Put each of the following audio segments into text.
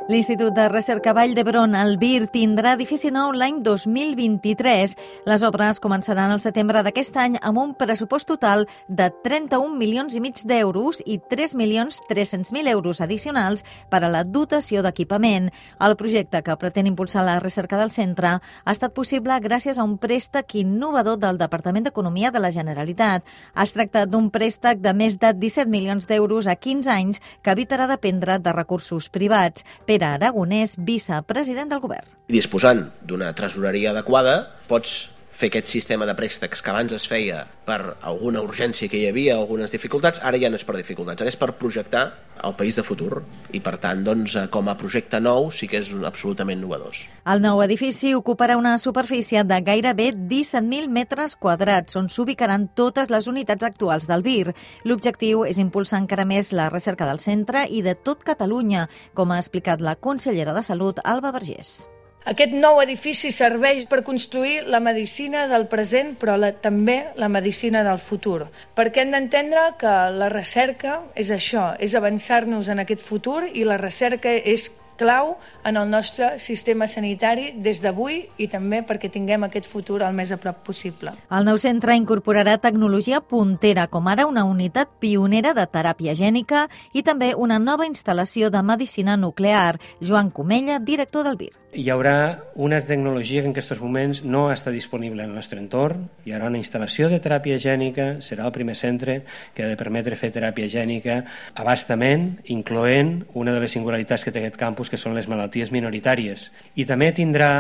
L'Institut de Recerca Vall d'Hebron, el VIR, tindrà edifici nou l'any 2023. Les obres començaran al setembre d'aquest any amb un pressupost total de 31 milions i mig d'euros i 3.300.000 euros addicionals per a la dotació d'equipament. El projecte, que pretén impulsar la recerca del centre, ha estat possible gràcies a un préstec innovador del Departament d'Economia de la Generalitat. Es tracta d'un préstec de més de 17 milions d'euros a 15 anys que evitarà dependre de recursos privats. Pere Aragonès, vicepresident del Govern. Disposant d'una tresoreria adequada, pots fer aquest sistema de préstecs que abans es feia per alguna urgència que hi havia, algunes dificultats, ara ja no és per dificultats, ara és per projectar el país de futur i, per tant, com a projecte nou sí que és absolutament innovador. El nou edifici ocuparà una superfície de gairebé 17.000 metres quadrats, on s'ubicaran totes les unitats actuals del VIR. L'objectiu és impulsar encara més la recerca del centre i de tot Catalunya, com ha explicat la consellera de Salut, Alba Vergés. Aquest nou edifici serveix per construir la medicina del present, però també la medicina del futur. Perquè hem d'entendre que la recerca és això, és avançar-nos en aquest futur, i la recerca és clau en el nostre sistema sanitari des d'avui i també perquè tinguem aquest futur el més a prop possible. El nou centre incorporarà tecnologia puntera, com ara una unitat pionera de teràpia gènica i també una nova instal·lació de medicina nuclear. Joan Comella, director del VIR. Hi haurà una tecnologia que en aquests moments no està disponible en el nostre entorn. Hi haurà una instal·lació de teràpia gènica, serà el primer centre que ha de permetre fer teràpia gènica a bastament, incloent una de les singularitats que té aquest campus, que són les malalties minoritàries. I també tindrà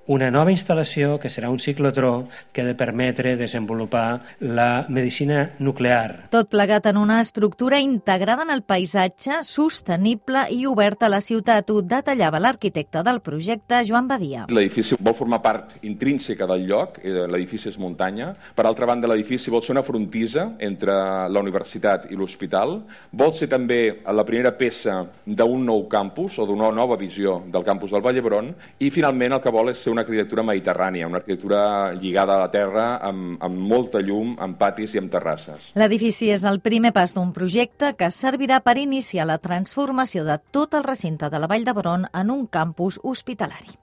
una nova instal·lació que serà un ciclotró que ha de permetre desenvolupar la medicina nuclear. Tot plegat en una estructura integrada en el paisatge, sostenible i oberta a la ciutat. Ho detallava l'arquitecte del projecte, Joan Badia. L'edifici vol formar part intrínseca del lloc, l'edifici és muntanya. Per altra banda, l'edifici vol ser una frontissa entre la universitat i l'hospital. Vol ser també la primera peça d'un nou campus o d'una nova visió del campus del Vall d'Hebron, i finalment el que vol és ser una arquitectura mediterrània, una arquitectura lligada a la terra, amb molta llum, amb patis i amb terrasses. L'edifici és el primer pas d'un projecte que servirà per iniciar la transformació de tot el recinte de la Vall d'Hebron en un campus hospitalari.